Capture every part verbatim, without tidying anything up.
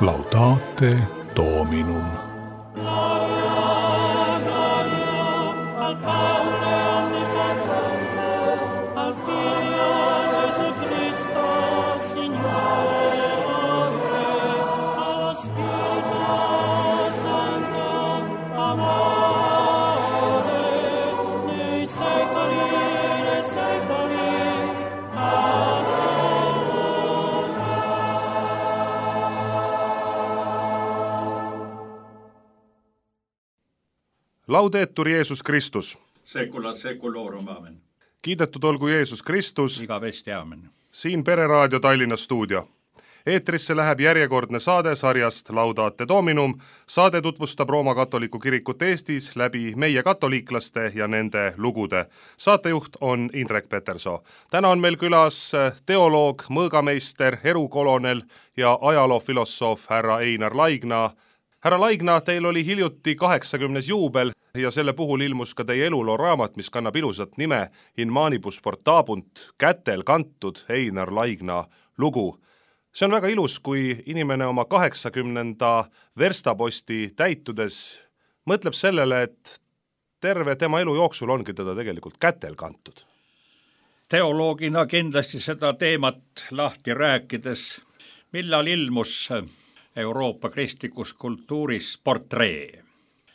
Laudate Dominum. Laudetur Jeesus Kristus. Secula seculorum, amen. Kiidetud olgu Jeesus Kristus. Igavesti, amen. Siin Pereraadio Tallinna stuudio. Eetrisse läheb järjekordne saade sarjast Laudate Dominum. Saade tutvustab Rooma katoliku kirikut Eestis läbi meie katoliiklaste ja nende lugude. Saatejuht on Indrek Petersoo. Täna on meil külas teoloog, mõõgameister, erukolonel ja ajaloofilosoof härra Einar Laigna. Härra Laigna, teil oli hiljuti kaheksakümnes juubel ja selle puhul ilmus ka teie eluloo raamat, mis kannab ilusat nime In manibus portabunt, kätel kantud Einar Laigna lugu. See on väga ilus, kui inimene oma kaheksakümnenda verstaposti täitudes mõtleb sellele, et terve tema elu jooksul ongi teda tegelikult kätel kantud. Teoloogina kindlasti seda teemat lahti rääkides, millal ilmus Euroopa kristlikus kultuuris portree.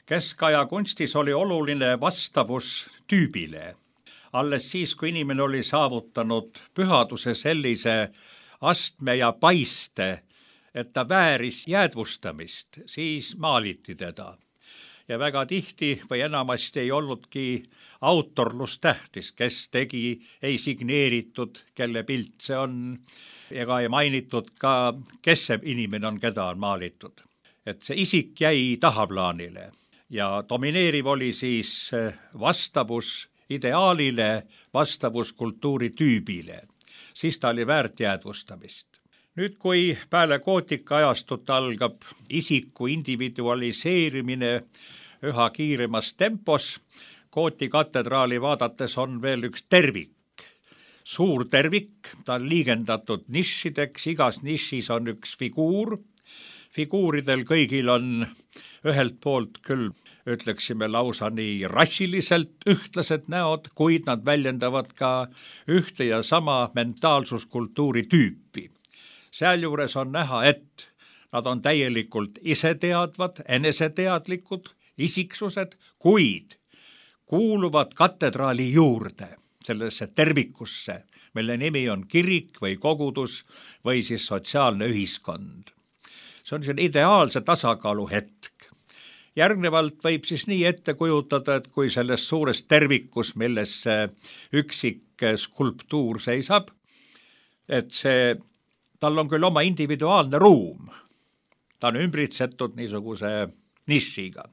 Keskaja kunstis oli oluline vastavus tüübile. Alles siis, kui inimene oli saavutanud pühaduse sellise astme ja paiste, et ta vääris jäädvustamist, siis maaliti teda. Ja väga tihti või enamasti ei olnudki autorlus tähtis, kes tegi, ei signeeritud, kelle pilt see on, ega ei mainitud ka, kes see inimene on, keda on maalitud. Et see isik jäi tahaplaanile ja domineeriv oli siis vastavus ideaalile, vastavus kultuuri tüübile. Siis ta oli väärt jäädvustamist. Nüüd, kui peale gootika ajastut algab isiku individualiseerimine üha kiiremas tempos, Gooti katedraali vaadates on veel üks tervik. Suur tervik, ta on liigendatud nišideks, igas nišis on üks figuur. Figuuridel kõigil on ühelt poolt küll, ütleksime lausa nii rassiliselt ühtlased näod, kuid nad väljendavad ka ühte ja sama mentaalsuskultuuri tüüpi. Sealjuures on näha, et nad on täielikult iseteadvad, eneseteadlikud, isiksused, kuid kuuluvad katedraali juurde, sellesse tervikusse, mille nimi on kirik või kogudus või siis sotsiaalne ühiskond. See on siin ideaalse tasakaalu hetk. Järgnevalt võib siis nii ette kujutada, et kui selles suures tervikus, milles see üksik skulptuur seisab, et see, tal on küll oma individuaalne ruum, ta on ümbritsetud niisuguse nišiga,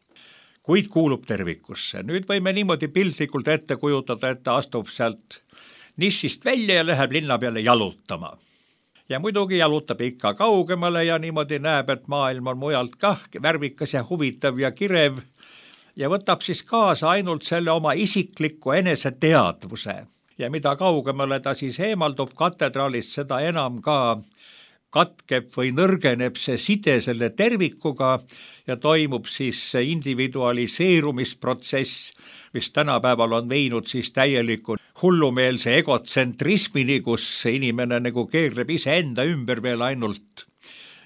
kuid kuulub tervikusse. Nüüd võime niimoodi piltlikult ette kujutada, et ta astub sealt nišist välja ja läheb linna peale jalutama. Ja muidugi jalutab ikka kaugemale ja niimoodi näeb, et maailm on mujalt kah värvikas ja huvitav ja kirev ja võtab siis kaasa ainult selle oma isikliku eneseteadvuse. Ja mida kaugemale ta siis eemaldub katedraalist, seda enam ka katkeb või nõrgeneb see side selle tervikuga ja toimub siis see individualiseerumisprotsess, mis tänapäeval on viinud siis täieliku hullumeelse egotsentrismini, kus inimene nagu keerleb iseenda ümber veel ainult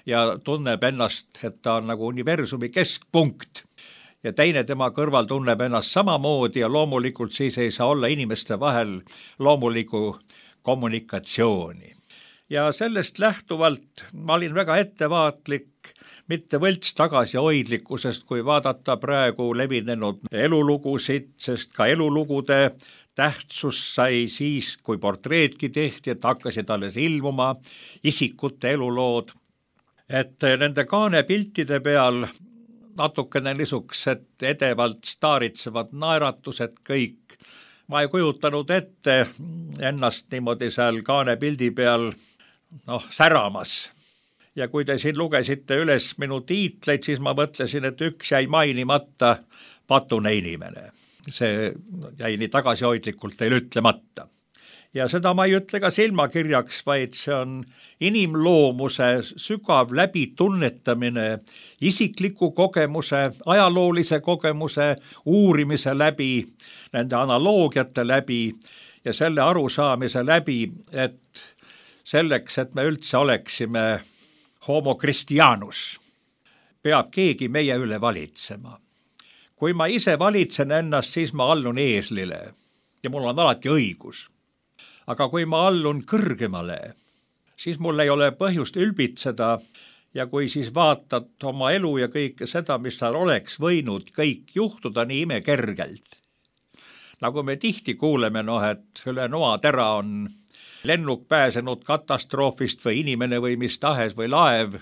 ja tunneb ennast, et ta on nagu universumi keskpunkt. Ja teine tema kõrval tunneb ennast samamoodi ja loomulikult siis ei saa olla inimeste vahel loomuliku kommunikatsiooni. Ja sellest lähtuvalt ma olin väga ettevaatlik, mitte võlts tagasihoidlikkusest, kui vaadata praegu levinenud elulugusid, sest ka elulugude tähtsus sai siis, kui portreedki tehti, et hakkasid alles ilmuma isikute elulood. Et nende kaanepiltide peal natukene niisugused edevalt staaritsevad naeratused kõik. Ma ei kujutanud ette ennast niimoodi seal kaanepildi peal noh, säramas. Ja kui te siin lugesite üles minu tiitleid, siis ma mõtlesin, et üks jäi mainimata, patune inimene. See jäi nii tagasihoidlikult teil ütlemata. ja seda ma ei ütle ka silmakirjaks, vaid see on inimloomuse sügav läbitunnetamine, isikliku kogemuse, ajaloolise kogemuse, uurimise läbi, nende analoogiate läbi ja selle arusaamise läbi, et selleks, et me üldse oleksime homo Christianus, peab keegi meie üle valitsema. Kui ma ise valitsen ennast, siis ma allun eeslile ja mul on alati õigus. Aga kui ma allun kõrgemale, siis mul ei ole põhjust ülbitseda ja kui siis vaatad oma elu ja kõike seda, mis tal oleks võinud kõik juhtuda nii imekergelt. Nagu me tihti kuuleme, noh, et üle noatera on lennuk pääsenud katastroofist või inimene või mis tahes või laev,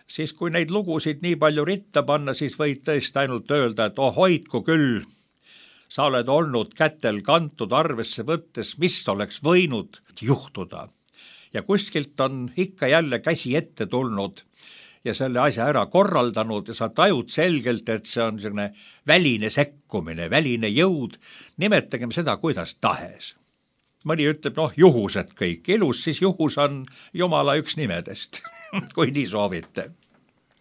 siis kui neid lugusid nii palju ritta panna, siis võid tõesti ainult öelda, et oh hoidku küll, sa oled olnud kätel kantud arvesse võttes, mis oleks võinud juhtuda. Ja kuskilt on ikka jälle käsi ette tulnud ja selle asja ära korraldanud ja sa tajud selgelt, et see on selline väline sekkumine, väline jõud, nimetagem seda kuidas tahes. Mõni ütleb, noh, juhused kõik, ilus, siis juhus on Jumala üks nimedest, kui nii soovite.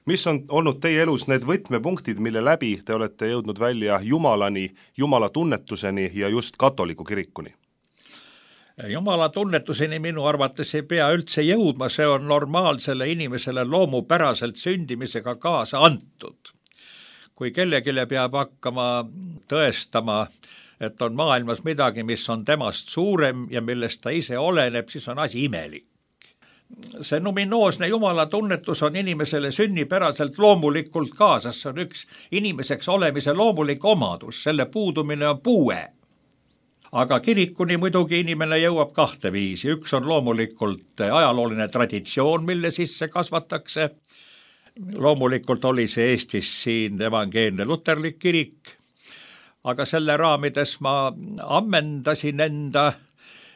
Mis on olnud teie elus need võtmepunktid, mille läbi te olete jõudnud välja Jumalani, Jumala tunnetuseni ja just katoliku kirikuni? Jumala tunnetuseni minu arvates ei pea üldse jõudma, see on normaalsele inimesele loomupäraselt sündimisega kaasa antud. Kui kellegile peab hakkama tõestama, et on maailmas midagi, mis on temast suurem ja millest ta ise oleneb, siis on asi imelik. See numinoosne Jumala tunnetus on inimesele sünnipäraselt loomulikult kaasas, see on üks inimeseks olemise loomulik omadus, selle puudumine on puue. Aga kirikuni muidugi inimene jõuab kahte viisi, üks on loomulikult ajalooline traditsioon, mille sisse kasvatakse. Loomulikult oli see Eestis siin evangeelne luterlik kirik, aga selle raamides ma ammendasin enda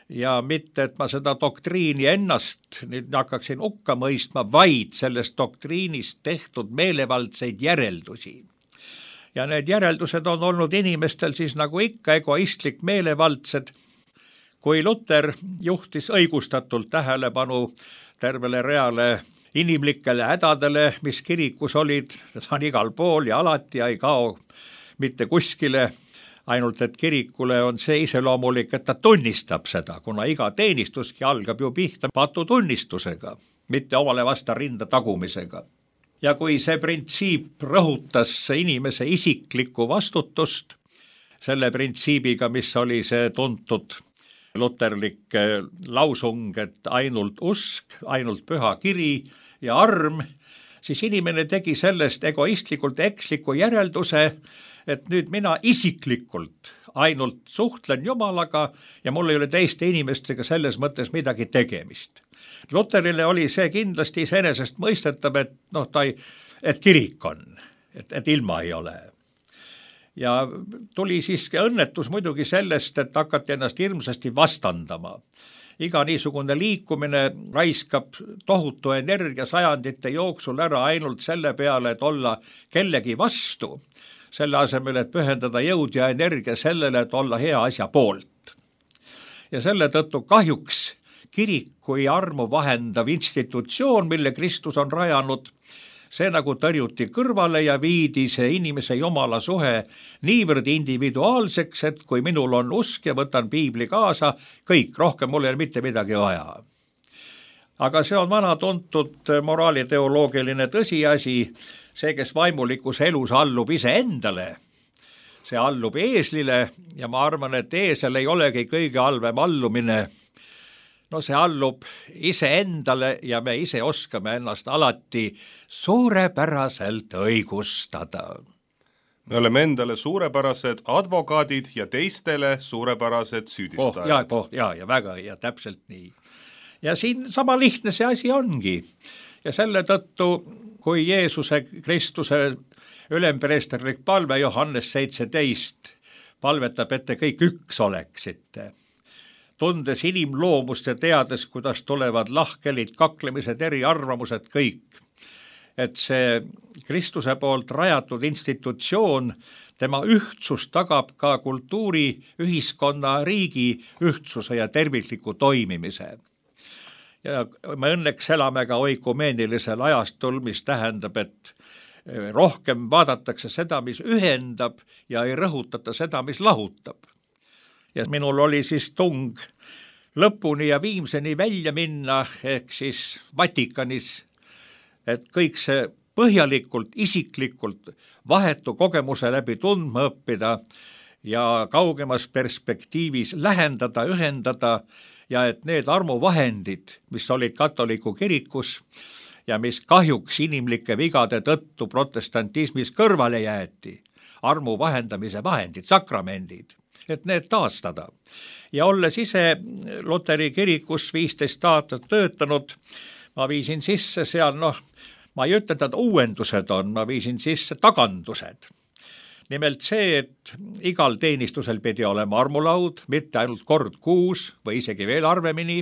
ja mitte, et ma seda doktriini ennast nüüd hakkaksin hukka mõistma, vaid sellest doktriinist tehtud meelevaldseid järeldusi. Ja need järeldused on olnud inimestel siis nagu ikka egoistlik meelevaldsed. Kui Luter juhtis õigustatult tähelepanu tervele reale inimlikele hädadele, mis kirikus olid, see on igal pool ja alati ja ei kao mitte kuskile, ainult et kirikule on see iseloomulik, et ta tunnistab seda, kuna iga teenistuski algab ju pihta patu tunnistusega, mitte omale vasta rinda tagumisega. Ja kui see printsiip rõhutas inimese isiklikku vastutust, selle printsiibiga, mis oli see tuntud luterlik lausung, et ainult usk, ainult püha kiri ja arm, siis inimene tegi sellest egoistlikult eksliku järelduse, et nüüd mina isiklikult ainult suhtlen Jumalaga ja mul ei ole teiste inimestega selles mõttes midagi tegemist. Luterile oli see kindlasti iseenesest mõistetav, et, no, ta ei, et kirik on, et, et ilma ei ole. Ja tuli siiski õnnetus muidugi sellest, et hakati ennast hirmsasti vastandama. Iga niisugune liikumine raiskab tohutu energia sajandite jooksul ära ainult selle peale, et olla kellegi vastu, selle asemel, et pühendada jõud ja energia sellele, et olla hea asja poolt. Ja selle tõttu kahjuks kirik kui armu vahendav institutsioon, mille Kristus on rajanud, see nagu tõrjuti kõrvale ja viidi see inimese Jumala suhe niivõrd individuaalseks, et kui minul on usk ja võtan piibli kaasa, kõik, rohkem mul ei ole mitte midagi vaja. Aga see on vana tuntud moraaliteoloogiline tõsiasi, see, kes vaimulikus elus allub ise endale, see allub eeslile ja ma arvan, et eesel ei olegi kõige halvem allumine. No see allub ise endale ja me ise oskame ennast alati suurepäraselt õigustada. Me oleme endale suurepärased advokaadid ja teistele suurepärased süüdistajad. Oh, ja, oh, ja, ja väga ja täpselt nii. Ja siin sama lihtne see asi ongi. Ja selle tõttu, kui Jeesuse Kristuse ülempreesterlik palve Johannes seitseteist palvetab, et te kõik üks oleksite, tundes inimloomust ja teades, kuidas tulevad lahkelid, kaklemised, eriarvamused kõik, et see Kristuse poolt rajatud institutsioon, tema ühtsus tagab ka kultuuri, ühiskonna, riigi ühtsuse ja tervikliku toimimise. Ja me õnneks elame ka oikumeenilisel ajastul, mis tähendab, et rohkem vaadatakse seda, mis ühendab ja ei rõhutata seda, mis lahutab. Ja minul oli siis tung lõpuni ja viimseni välja minna, ehk siis Vatikanis, et kõik see põhjalikult, isiklikult vahetu kogemuse läbi tundma õppida ja kaugemas perspektiivis lähendada, ühendada ja et need armuvahendid, mis olid katoliku kirikus ja mis kahjuks inimlike vigade tõttu protestantismis kõrvale jäeti, armu vahendamise vahendid, sakramendid, et need taastada. Ja olles ise Luteri kirikus viisteist aastat töötanud, ma viisin sisse seal, noh, ma ei ütle, et uuendused on, ma viisin sisse tagandused. Nimelt see, et igal teenistusel pidi olema armulaud, mitte ainult kord kuus või isegi veel harvemini.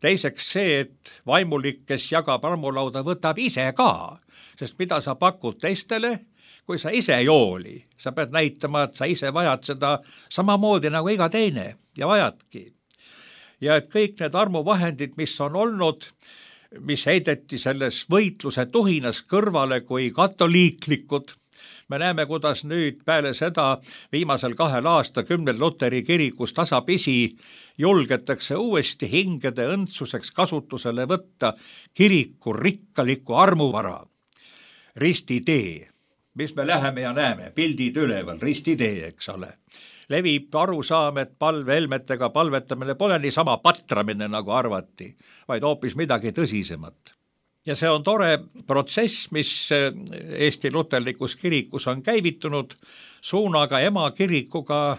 Teiseks see, et vaimulik, kes jagab armulauda, võtab ise ka, sest mida sa pakud teistele, kui sa ise ei hooli. Sa pead näitama, et sa ise vajad seda samamoodi nagu iga teine ja vajadki. Ja et kõik need armuvahendid, mis on olnud, mis heideti selles võitluse tuhinas kõrvale kui katoliiklikud. Me näeme, kuidas nüüd peale seda viimasel kahel aastakümnel Luteri kirikus tasapisi julgetakse uuesti hingede õndsuseks kasutusele võtta kiriku rikkaliku armuvara. Ristitee, mis me läheme ja näeme, pildid üleval, ristitee, eks ole. Levib arusaam, et palvehelmetega palvetamine pole nii sama patramine, nagu arvati, vaid hoopis midagi tõsisemat. Ja see on tore protsess, mis Eesti luterlikus kirikus on käivitunud, suunaga ema kirikuga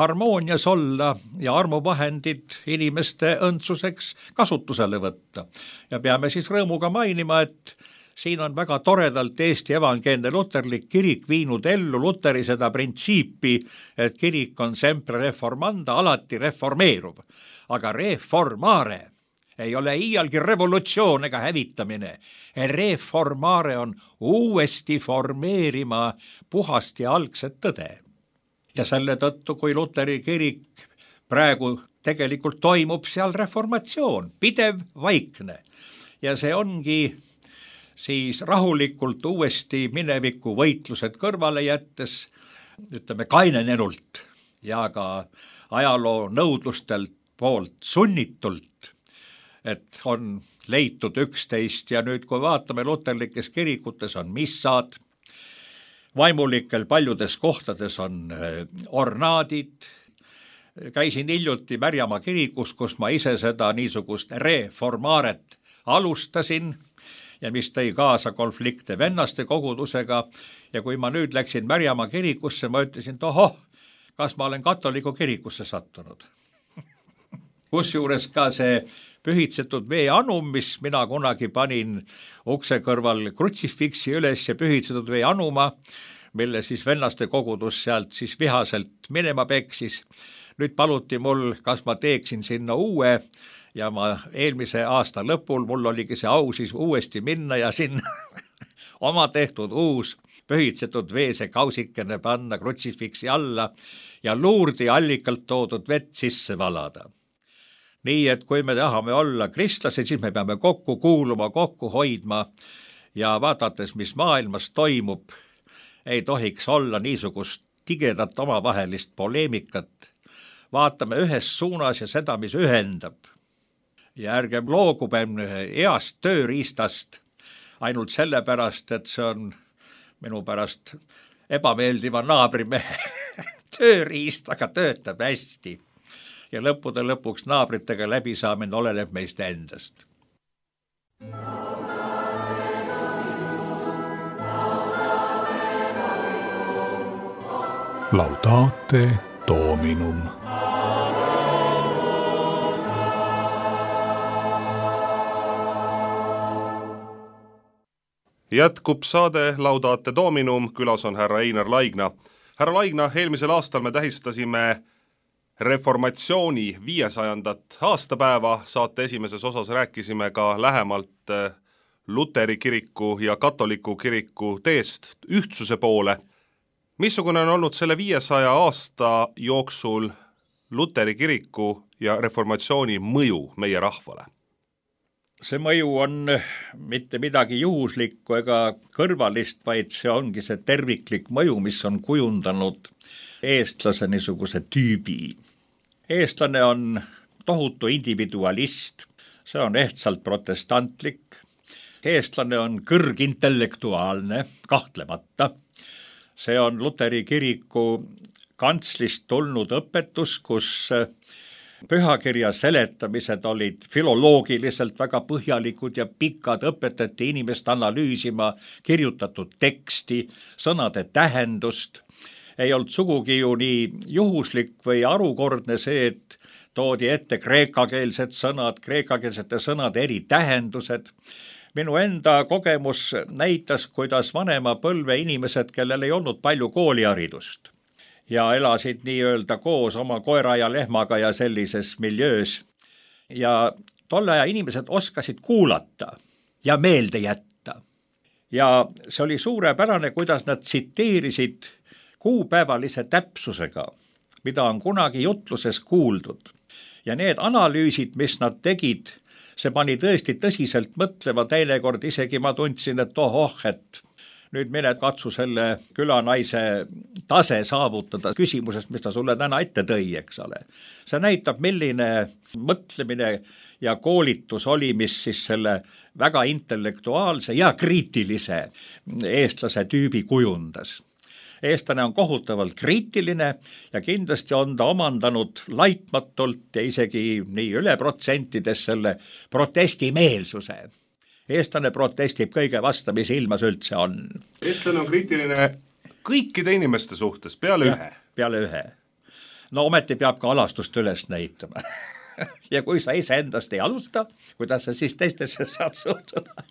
harmoonias olla ja armuvahendid inimeste õndsuseks kasutusele võtta. Ja peame siis rõõmuga mainima, et siin on väga toredalt Eesti evangeelne luterlik kirik viinud ellu Luteri seda printsiipi, et kirik on sempre reformanda, alati reformeerub, aga reformare ei ole iialgi revolutsioon ega hävitamine. Reformare on uuesti formeerima puhast ja algset tõde. Ja selle tõttu, kui Luteri kirik praegu tegelikult toimub seal reformatsioon, pidev, vaikne. Ja see ongi siis rahulikult uuesti mineviku võitlused kõrvale jättes, ütleme kainenenult ja ka ajaloo nõudlustelt poolt sunnitult, et on leitud üksteist ja nüüd, kui vaatame luterlikes kirikutes on missad, vaimulikel paljudes kohtades on ornaadid, käisin hiljuti Märjamaa kirikus, kus ma ise seda niisugust reformaaret alustasin, ja mis tõi kaasa konflikte vennaste kogudusega. Ja kui ma nüüd läksin Märjamaa kirikusse, ma ütlesin, et ohoh, kas ma olen katoliku kirikusse sattunud. Kusjuures ka see pühitsetud veeanum, mis mina kunagi panin ukse kõrval krutsifiksi üles ja pühitsetud veeanuma, mille siis vennaste kogudus sealt siis vihaselt minema peksis. Nüüd paluti mul, kas ma teeksin sinna uue, ja ma eelmise aasta lõpul mul oligi see au siis uuesti minna ja sinna oma tehtud uus pühitsetud veese kausikene panna krutsifiksi alla ja luurdi allikalt toodud vett sisse valada. Nii, et kui me tahame olla kristlased, siis me peame kokku kuuluma, kokku hoidma ja vaadates, mis maailmas toimub, ei tohiks olla niisugust tigedat omavahelist poleemikat. Vaatame ühes suunas ja seda, mis ühendab. Ja ärgem loogubem heast tööriistast ainult sellepärast, et see on minu pärast ebameeldiva naabrimehe tööriist, aga töötab hästi. Ja lõppude lõpuks naabritega läbisaamine oleneb meist endast. Laudate Dominum. Jätkub saade Laudate Dominum, külas on härra Einar Laigna. Härra Laigna, eelmisel aastal me tähistasime reformatsiooni viiesajandat aastapäeva. Saate esimeses osas rääkisime ka lähemalt luteri kiriku ja katoliku kiriku teest ühtsuse poole. Missugune on olnud selle viiesaja aasta jooksul luteri kiriku ja reformatsiooni mõju meie rahvale? See mõju on mitte midagi juhuslikku ega kõrvalist, vaid see ongi see terviklik mõju, mis on kujundanud eestlase niisuguse tüübi. Eestlane on tohutu individualist, see on ehtsalt protestantlik. Eestlane on kõrgintellektuaalne, kahtlemata. See on luteri kiriku kantslist tulnud õpetus, kus pühakirja seletamised olid filoloogiliselt väga põhjalikud ja pikad, õpetati inimest analüüsima kirjutatud teksti, sõnade tähendust. Ei olnud sugugi ju nii juhuslik või arukordne see, et toodi ette kreekakeelsed sõnad, kreekakeelsete sõnade eri tähendused. Minu enda kogemus näitas, kuidas vanema põlve inimesed, kellel ei olnud palju kooliharidust ja elasid nii-öelda koos oma koera ja lehmaga ja sellises miljöös. Ja tolle aja inimesed oskasid kuulata ja meelde jätta. Ja see oli suurepärane, kuidas nad tsiteerisid kuupäevalise täpsusega, mida on kunagi jutluses kuuldud. Ja need analüüsid, mis nad tegid, see pani tõesti tõsiselt mõtlema, teinekord isegi ma tundsin, et ohoh, et nüüd mine katsu selle külanaise tase saavutada küsimusest, mis ta sulle täna ette tõi, eks ole. See näitab, milline mõtlemine ja koolitus oli, mis siis selle väga intellektuaalse ja kriitilise eestlase tüübi kujundas. Eestlane on kohutavalt kriitiline ja kindlasti on ta omandanud laitmatult ja isegi nii üle protsentides selle protestimeelsuse. Eestlane protestib kõige vastu, mis ilmas üldse on. Eestlane on kriitiline kõikide inimeste suhtes, peale ja, ühe. Peale ühe. No ometi peab ka alastust üles näitama. Ja kui sa ise endast ei alusta, kuidas sa siis teistesse saad suhtuda?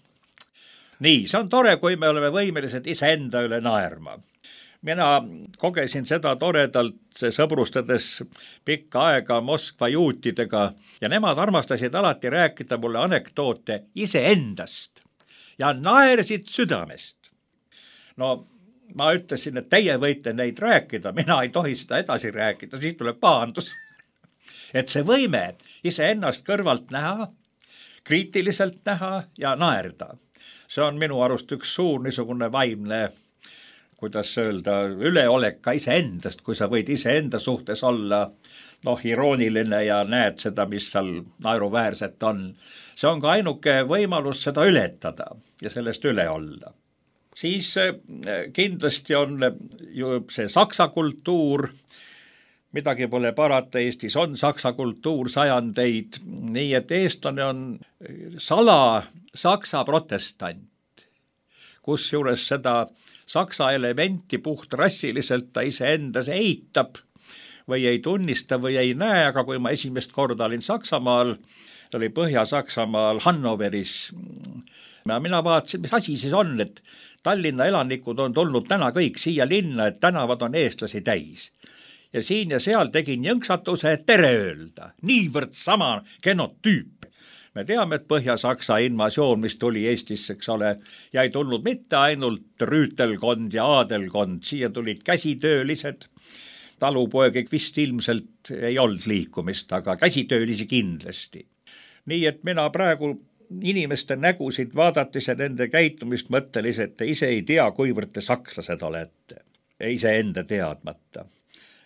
Nii, see on tore, kui me oleme võimelised ise enda üle naerma. Mina kogesin seda toredalt sõbrustades pikka aega Moskva juutidega ja nemad armastasid alati rääkida mulle anekdoote iseendast ja naersid südamest. No ma ütlesin, et teie võite neid rääkida, mina ei tohi seda edasi rääkida, siis tuleb pahandus. Et see võime iseennast kõrvalt näha, kriitiliselt näha ja naerda. See on minu arust üks suur niisugune vaimne, kuidas öelda, üleolek ka iseendast, kui sa võid iseenda suhtes olla noh, irooniline ja näed seda, mis seal naeruväärset on. See on ka ainuke võimalus seda ületada ja sellest üle olla. Siis kindlasti on ju see saksa kultuur, midagi pole parata, Eestis on saksa kultuur sajandeid, nii et eestlane on sala saksa protestant, kus juures seda saksa elementi puht rassiliselt ta iseendas eitab või ei tunnista või ei näe, aga kui ma esimest korda olin Saksamaal, oli Põhja-Saksamaal Hannoveris, mina vaatasin, mis asi siis on, et Tallinna elanikud on tulnud täna kõik siia linna, et tänavad on eestlasi täis. Ja siin ja seal tegin jõnksatuse, et tere öelda, niivõrd sama genotüüp. Me teame, et Põhja-Saksa invasioon, mis tuli Eestisse, eks ole, ja ei tulnud mitte ainult rüütelkond ja aadelkond, siia tulid käsitöölised, talupoegik vist ilmselt ei olnud liikumist, aga käsitöölisi kindlasti. Nii et mina praegu inimeste nägusid vaadates ja nende käitumist mõttelis, et te ise ei tea, kuivõrd te sakslased olete, ise enda teadmata.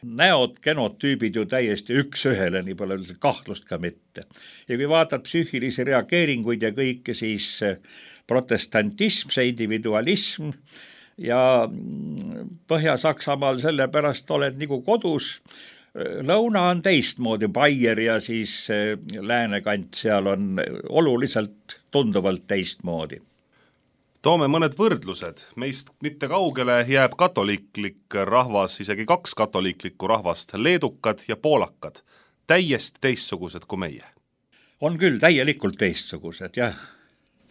Näod, genotüübid ju täiesti üks ühele, nii pole üldse kahtlust ka mitte. Ja kui vaatad psüühilisi reageeringuid ja kõike, siis protestantism, see individualism ja Põhja-Saksamaal sellepärast oled nagu kodus. Lõuna on teistmoodi, Baier ja siis läänekant seal on oluliselt tunduvalt teistmoodi. Toome mõned võrdlused. Meist mitte kaugele jääb katoliiklik rahvas, isegi kaks katoliiklikku rahvast, leedukad ja poolakad, täiesti teistsugused kui meie. On küll täielikult teistsugused, jah.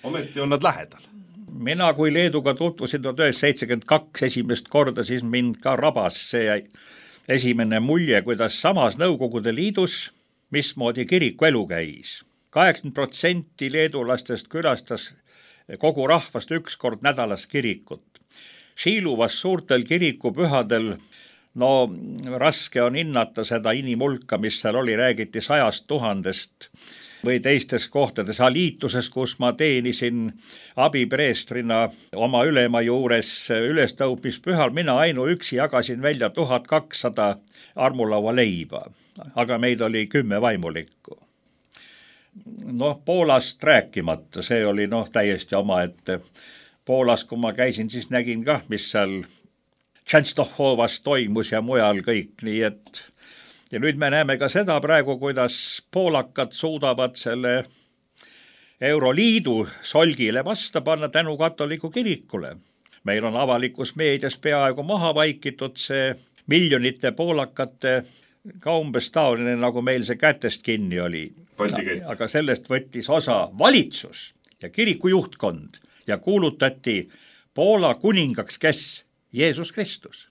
Ometi on nad lähedal. Mina kui Leeduga tutvusin tuhat üheksasada seitsekümmend kaks esimest korda, siis mind ka rabas see esimene mulje, kuidas samas Nõukogude Liidus, mismoodi kiriku elu käis. kaheksakümmend protsenti leedulastest külastas kogu rahvast üks kord nädalas kirikut. Siiluvas suurtel kirikupühadel, no raske on hinnata seda inimulka, mis seal oli, räägiti sajast tuhandest või teistes kohtades. Aliituses, kus ma teenisin abipreestrina oma ülema juures ülestõusmispühal, mina ainuüksi jagasin välja tuhat kakssada armulaua leiba, aga meid oli kümme vaimulikku. Noh, Poolast rääkimata, see oli noh täiesti omaette. Poolas, kui ma käisin, siis nägin kah, mis seal Częstochowas toimus ja mujal kõik, nii et ja nüüd me näeme ka seda praegu, kuidas poolakad suudavad selle Euroliidu solgile vasta panna tänu katoliku kirikule. Meil on avalikus meedias peaaegu maha vaikitud see miljonite poolakate ka umbes taoline, nagu meil see kätest kinni oli. Aga sellest võttis osa valitsus ja kiriku juhtkond ja kuulutati Poola kuningaks, kes Jeesus Kristus.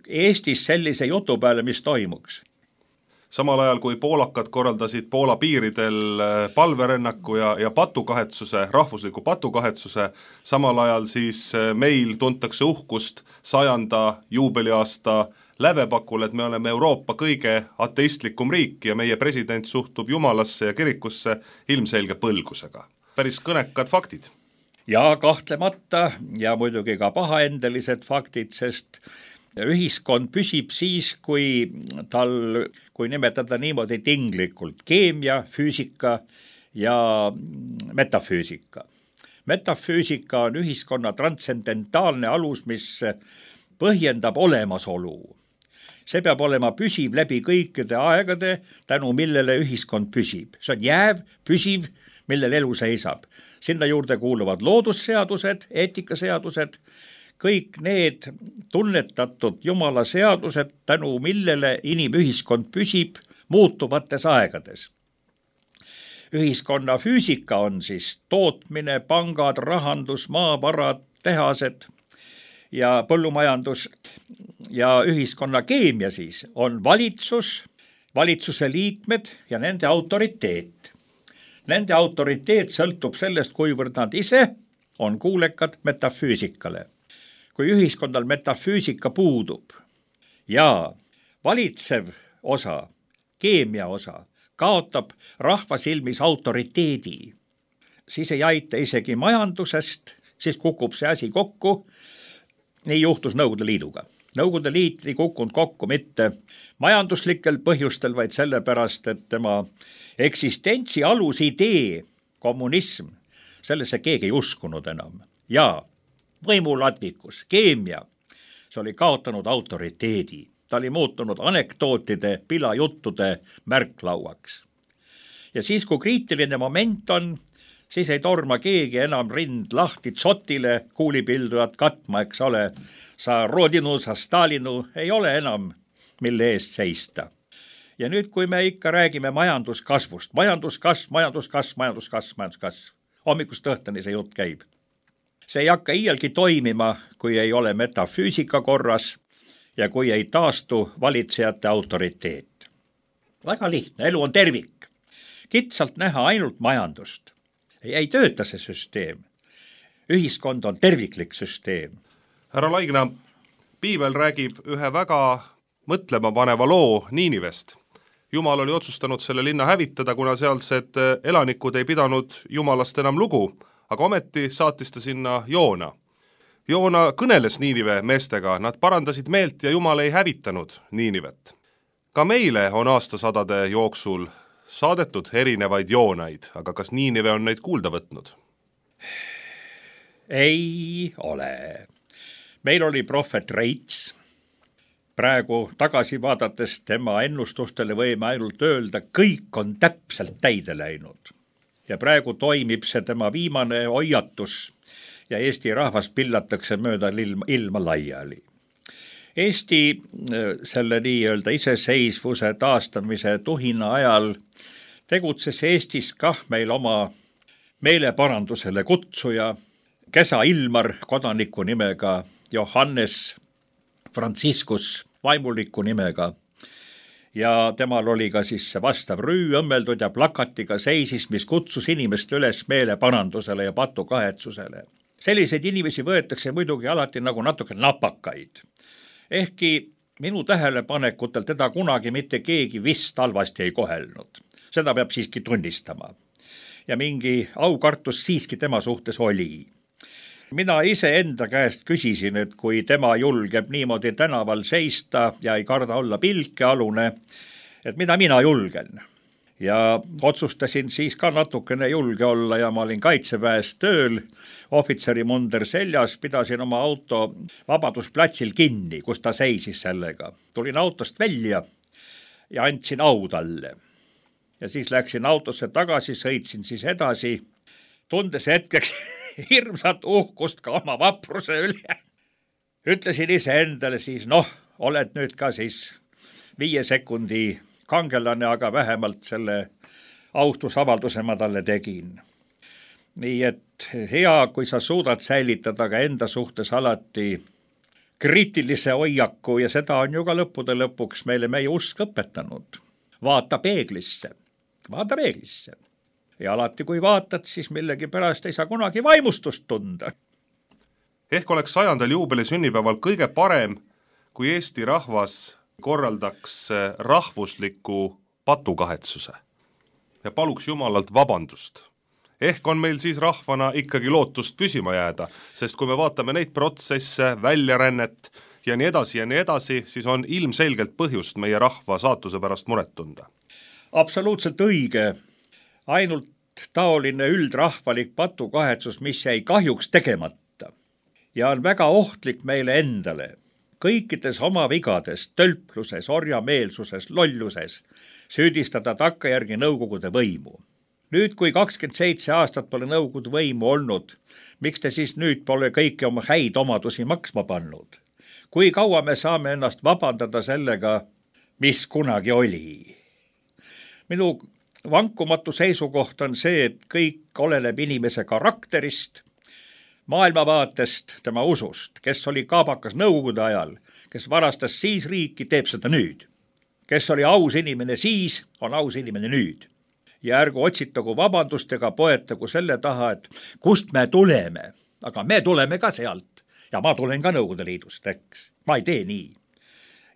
Eestis sellise jutu peale, mis toimuks. Samal ajal, kui poolakad korraldasid Poola piiridel palverännaku ja, ja patukahetsuse, rahvusliku patukahetsuse, samal ajal siis meil tuntakse uhkust sajanda juubeliaasta lävepakul, et me oleme Euroopa kõige ateistlikum riik ja meie president suhtub jumalasse ja kirikusse ilmselge põlgusega. Päris kõnekad faktid. Ja kahtlemata ja muidugi ka pahaendelised faktid, sest ühiskond püsib siis, kui tal, kui nimetada niimoodi tinglikult, keemia, füüsika ja metafüüsika. Metafüüsika on ühiskonna transcendentaalne alus, mis põhjendab olemasolu. See peab olema püsiv läbi kõikide aegade, tänu millele ühiskond püsib. See on jääv, püsiv, millel elu seisab. Sinna juurde kuuluvad loodusseadused, eetikaseadused, kõik need tunnetatud Jumala seadused, tänu millele inimühiskond püsib muutuvates aegades. Ühiskonna füüsika on siis tootmine, pangad, rahandus, maavarad, tehased ja põllumajandus ja ühiskonna keemia siis on valitsus, valitsuse liikmed ja nende autoriteet. Nende autoriteet sõltub sellest, kuivõrd nad ise on kuulekad metafüüsikale. Kui ühiskonnal metafüüsika puudub ja valitsev osa, keemia osa, kaotab rahva silmis autoriteedi, siis ei aita isegi majandusest, siis kukub see asi kokku. Nii juhtus Nõukogude Liiduga. Nõukogude Liit ei kukkunud kokku mitte majanduslikel põhjustel, vaid sellepärast, et tema eksistentsi alusidee, kommunism, sellesse keegi ei uskunud enam. Ja võimuladvikus, keemia, see oli kaotanud autoriteedi. Ta oli muutunud anekdootide, pilajuttude märklauaks. Ja siis, kui kriitiline moment on, siis ei torma keegi enam rind lahti tsotile kuulipildujat katma, eks ole. Sa Rodinu, sa Stalinu ei ole enam, mille eest seista. Ja nüüd, kui me ikka räägime majanduskasvust, majanduskasv, majanduskasv, majanduskasv, majanduskasv, hommikust õhtani see jutt käib. See ei hakka iialgi toimima, kui ei ole metafüüsika korras ja kui ei taastu valitsejate autoriteet. Väga lihtne, elu on tervik. Kitsalt näha ainult majandust. Ei, ei tööta see süsteem. Ühiskond on terviklik süsteem. Härra Laigna, piibel räägib ühe väga mõtlema paneva loo Niinivest. Jumal oli otsustanud selle linna hävitada, kuna sealsed elanikud ei pidanud Jumalast enam lugu, aga ometi saatis ta sinna Joona. Joona kõneles Niinive meestega, nad parandasid meelt ja Jumal ei hävitanud Niinivet. Ka meile on aastasadade jooksul saadetud erinevaid Joonaid, aga kas Niinive on neid kuulda võtnud? Ei ole. Meil oli prohvet Reits. Praegu tagasi vaadates tema ennustustele võime ainult öelda, kõik on täpselt täide läinud. Ja praegu toimib see tema viimane hoiatus ja Eesti rahvas pillatakse mööda ilma, ilma laiali. Eesti selle nii-öelda iseseisvuse taastamise tuhina ajal tegutses Eestis kah meil oma meeleparandusele kutsuja, Kesa Ilmar kodaniku nimega, Johannes Franciscus vaimuliku nimega. ja temal oli ka siis see vastav rüü õmmeldud ja plakatiga seisis, mis kutsus inimest üles meeleparandusele ja patukahetsusele. Selliseid inimesi võetakse muidugi alati nagu natuke napakaid. Ehkki minu tähelepanekutel teda kunagi mitte keegi vist halvasti ei kohelnud. Seda peab siiski tunnistama. Ja mingi aukartus siiski tema suhtes oli. Mina ise enda käest küsisin, et kui tema julgeb niimoodi tänaval seista ja ei karda olla pilkealune, et mida mina julgen. Ja otsustasin siis ka natukene julge olla ja ma olin kaitseväes tööl, ohvitseri munder seljas, pidasin oma auto Vabadusplatsil kinni, kus ta seisis sellega. Tulin autost välja ja andsin au talle. Ja siis läksin autosse tagasi, sõitsin siis edasi, tundes hetkeks hirmsat uhkust ka oma vapruse üle. Ütlesin ise endale siis, noh, oled nüüd ka siis viie sekundi kangelane, aga vähemalt selle austusavalduse ma talle tegin. Nii et hea, kui sa suudad säilitada ka enda suhtes alati kriitilise hoiaku ja seda on ju ka lõppude lõpuks meile meie usk õpetanud. Vaata peeglisse, vaata peeglisse. Ja alati kui vaatad, siis millegi pärast ei saa kunagi vaimustust tunda. Ehk oleks sajandal juubeli sünnipäeval kõige parem, kui Eesti rahvas korraldaks rahvusliku patukahetsuse ja paluks Jumalalt vabandust. Ehk on meil siis rahvana ikkagi lootust püsima jääda, sest kui me vaatame neid protsesse, väljarännet ja nii edasi ja nii edasi, siis on ilmselgelt põhjust meie rahva saatuse pärast muret tunda. Absoluutselt õige. Ainult taoline üldrahvalik patukahetsus, mis jäi kahjuks tegemata ja on väga ohtlik meile endale. Kõikides oma vigades, tölpluses, orjameelsuses, lolluses süüdistada takkajärgi nõukogude võimu. Nüüd, kui kakskümmend seitse aastat pole nõukogude võimu olnud, miks te siis nüüd pole kõiki oma häid omadusi maksma pannud? Kui kaua me saame ennast vabandada sellega, mis kunagi oli? Minu vankumatu seisukoht on see, et kõik oleneb inimese karakterist, maailmavaatest, tema usust, kes oli kaabakas nõukogude ajal, kes varastas siis riiki, teeb seda nüüd. Kes oli aus inimene siis, on aus inimene nüüd. Ja ärgu otsitagu vabandustega, poetagu selle taha, et kust me tuleme, aga me tuleme ka sealt ja ma tulen ka Nõukogude Liidust, eks. Ma ei tee nii.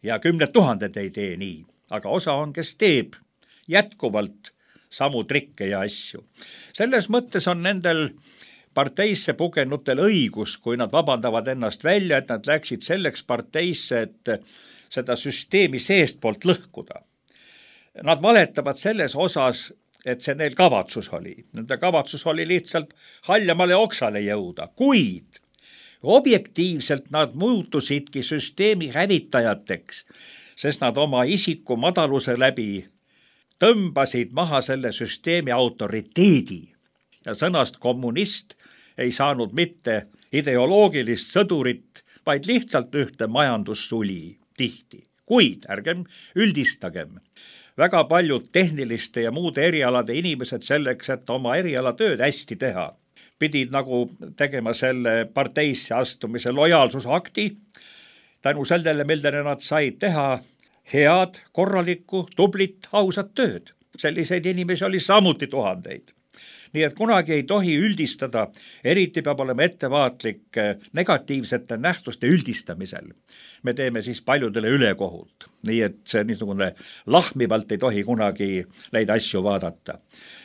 Ja kümned tuhanded ei tee nii, aga osa on, kes teeb jätkuvalt samu trikke ja asju. Selles mõttes on nendel parteisse pugenutel õigus, kui nad vabandavad ennast välja, et nad läksid selleks parteisse, et seda süsteemi seest poolt lõhkuda. Nad valetavad selles osas, et see neil kavatsus oli. Nende kavatsus oli lihtsalt haljamale oksale jõuda, kuid objektiivselt nad muutusidki süsteemi hävitajateks, sest nad oma isiku madaluse läbi tõmbasid maha selle süsteemi autoriteedi ja sõnast kommunist ei saanud mitte ideoloogilist sõdurit, vaid lihtsalt ühte majandussuli tihti. Kuid ärgem üldistagem. Väga paljud tehniliste ja muude erialade inimesed selleks, et oma erialatööd hästi teha, pidid nagu tegema selle parteisse astumise lojaalsusakti, tänu sellele, millele nad said teha head, korralikku, tublit, ausat tööd. Selliseid inimesi oli samuti tuhandeid. Nii et kunagi ei tohi üldistada, eriti peab olema ettevaatlik negatiivsete nähtuste üldistamisel. Me teeme siis paljudele ülekohut, nii et see niisugune lahmivalt ei tohi kunagi neid asju vaadata.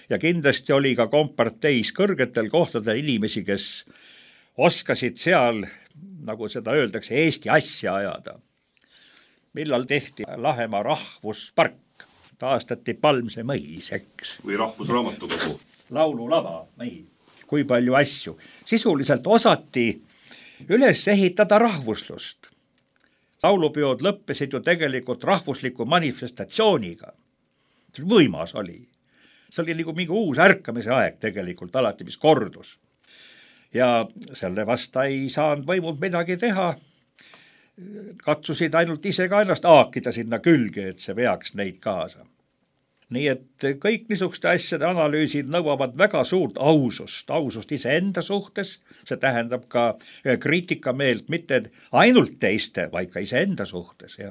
Ja kindlasti oli ka komparteis kõrgetel kohtadel inimesi, kes oskasid seal, nagu seda öeldakse, Eesti asja ajada. Millal tehti Lahemaa rahvuspark, taastati Palmse mõis, eks. Või rahvusraamatukogu. Laululava, nii, kui palju asju. Sisuliselt osati üles ehitada rahvuslust. Laulupeod lõppesid ju tegelikult rahvusliku manifestatsiooniga. See võimas oli. See oli nagu mingi uus ärkamise aeg tegelikult alati, mis kordus. Ja selle vasta ei saanud võimud midagi teha. Katsusid ainult ise ka ennast aakida sinna külge, et see veaks neid kaasa. Nii et kõik niisuguste asjade analüüsid nõuavad väga suurt ausust, ausust iseenda suhtes, see tähendab ka kriitikameelt mitte ainult teiste, vaid ka iseenda suhtes. Ja.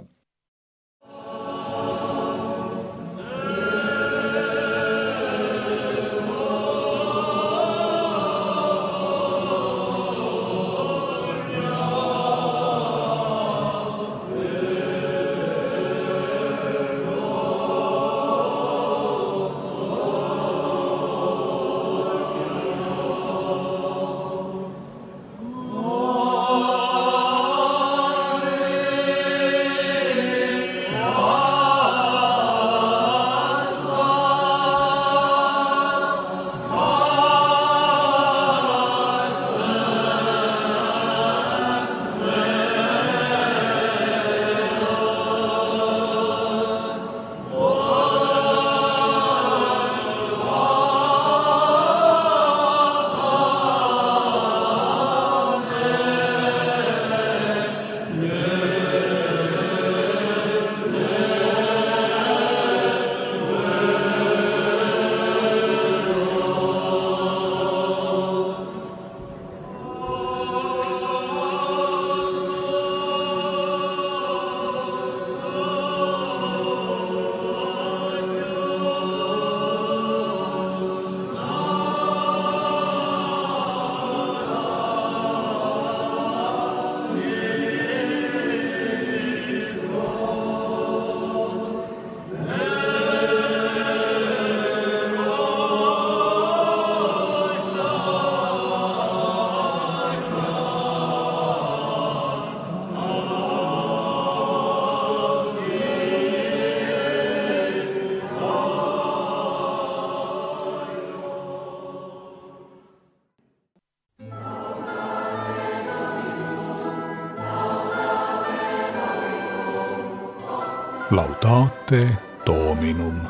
Laudate Dominum.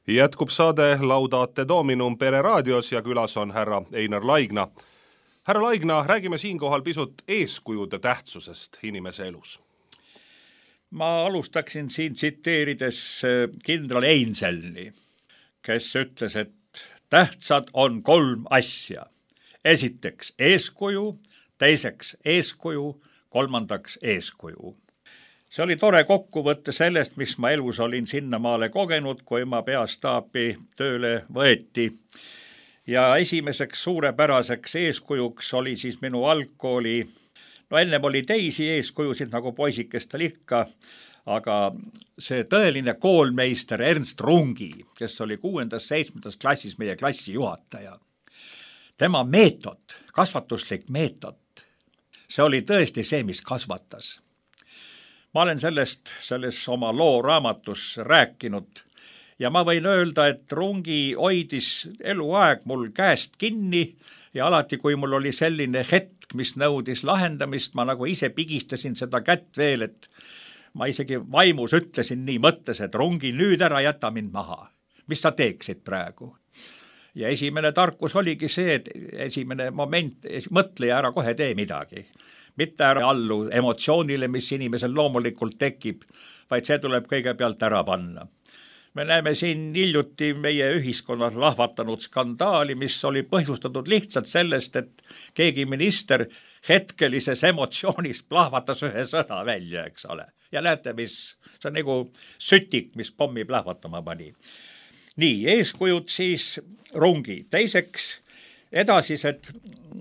Jätkub saade Laudate Dominum Pere raadios ja külas on härra Einar Laigna. Härra Laigna, räägime siinkohal pisut eeskujude tähtsusest inimese elus. Ma alustaksin siin tsiteerides kindral Einselni, kes ütles, et tähtsad on kolm asja. Esiteks eeskuju, teiseks eeskuju, kolmandaks eeskuju. See oli tore kokkuvõtte sellest, mis ma elus olin sinnamaale kogenud, kui ma peastaapi tööle võeti. Ja esimeseks suurepäraseks eeskujuks oli siis minu algkooli, no ennem oli teisi eeskujusid nagu poisikestel ikka, aga see tõeline koolmeister Ernst Rungi, kes oli kuuendas, seitsmendas klassis meie klassi juhataja. Tema meetod, kasvatuslik meetod, see oli tõesti see, mis kasvatas. Ma olen sellest, selles oma loo raamatus rääkinud ja ma võin öelda, et Rungi hoidis eluaeg mul käest kinni ja alati, kui mul oli selline hetk, mis nõudis lahendamist, ma nagu ise pigistasin seda kätt veel, et ma isegi vaimus ütlesin nii mõttes, et Rungi, nüüd ära jäta mind maha. Mis sa teeksid praegu? Ja esimene tarkus oligi see, et esimene moment, mõtle ja ära kohe tee midagi. Mitte ära allu emotsioonile, mis inimesel loomulikult tekib, vaid see tuleb kõigepealt ära panna. Me näeme siin hiljuti meie ühiskonnas lahvatanud skandaali, mis oli põhjustatud lihtsalt sellest, et keegi minister hetkelises emotsioonis plahvatas ühe sõna välja, eks ole. Ja näete, mis see on nagu sütik, mis pommi plahvatama pani. Nii, eeskujud siis Rungi. Teiseks, edasised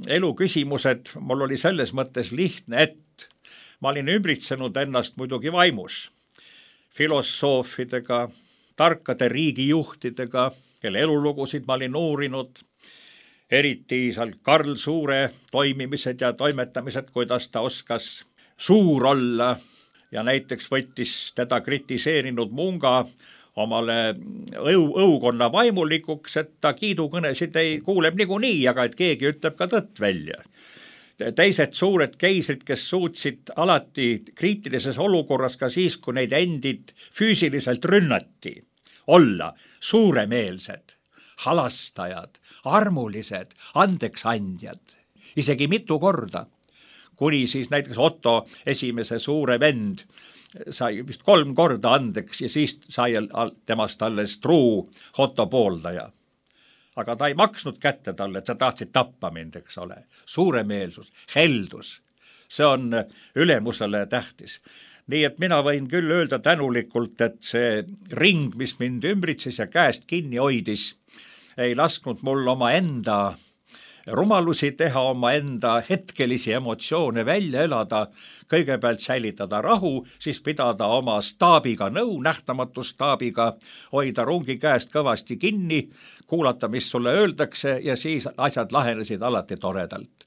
eluküsimused mul oli selles mõttes lihtne, et ma olin ümbritsenud ennast muidugi vaimus filosoofidega, tarkade riigijuhtidega, kelle elulugusid ma olin uurinud, eriti seal Karl Suure toimimised ja toimetamised, kuidas ta oskas suur olla ja näiteks võttis teda kritiseerinud Munga omale õu, õukonna vaimulikuks, et ta kiidukõnesid ei kuuleb niikuinii, aga et keegi ütleb ka tõtt välja. Teised suured keisrid, kes suutsid alati kriitilises olukorras ka siis, kui neid endid füüsiliselt rünnati, olla suuremeelsed, halastajad, armulised, andeksandjad, isegi mitu korda, kuni siis näiteks Otto esimese suure vend sai vist kolm korda andeks ja siis sai temast alles truu Otto pooldaja. Aga ta ei maksnud kätte talle, et sa tahtsid tappa mind, eks ole. Suuremeelsus, heldus, see on ülemusele tähtis. Nii et mina võin küll öelda tänulikult, et see ring, mis mind ümbritses ja käest kinni hoidis, ei lasknud mul oma enda rumalusi teha, oma enda hetkelisi emotsioone välja elada, kõigepealt säilitada rahu, siis pidada oma staabiga nõu, nähtamatu staabiga, hoida Rungi käest kõvasti kinni, kuulata, mis sulle öeldakse ja siis asjad lahenesid alati toredalt.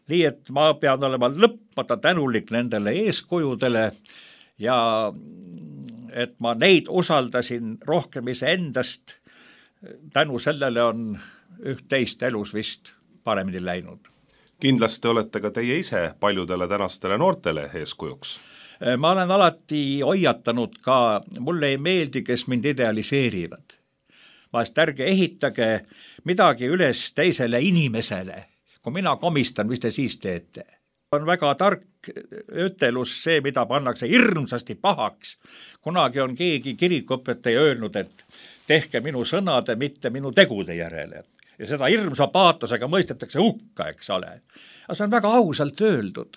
Nii et ma pean olema lõppmata tänulik nendele eeskujudele ja et ma neid usaldasin rohkem iseendast, tänu sellele on üht-teist elus vist paremini läinud. Kindlasti olete ka teie ise paljudele tänastele noortele eeskujuks. Ma olen alati hoiatanud ka, mulle ei meeldi, kes mind idealiseerivad. Vahest ärge ehitage midagi üles teisele inimesele. Kui mina komistan, mis te siis teete? On väga tark ütelus see, mida pannakse hirmsasti pahaks. Kunagi on keegi kirikuõpetaja öelnud, et tehke minu sõnade, mitte minu tegude järele. Ja seda hirmsa paatosega mõistetakse hukka, eks ole. Aga see on väga ausalt öeldud.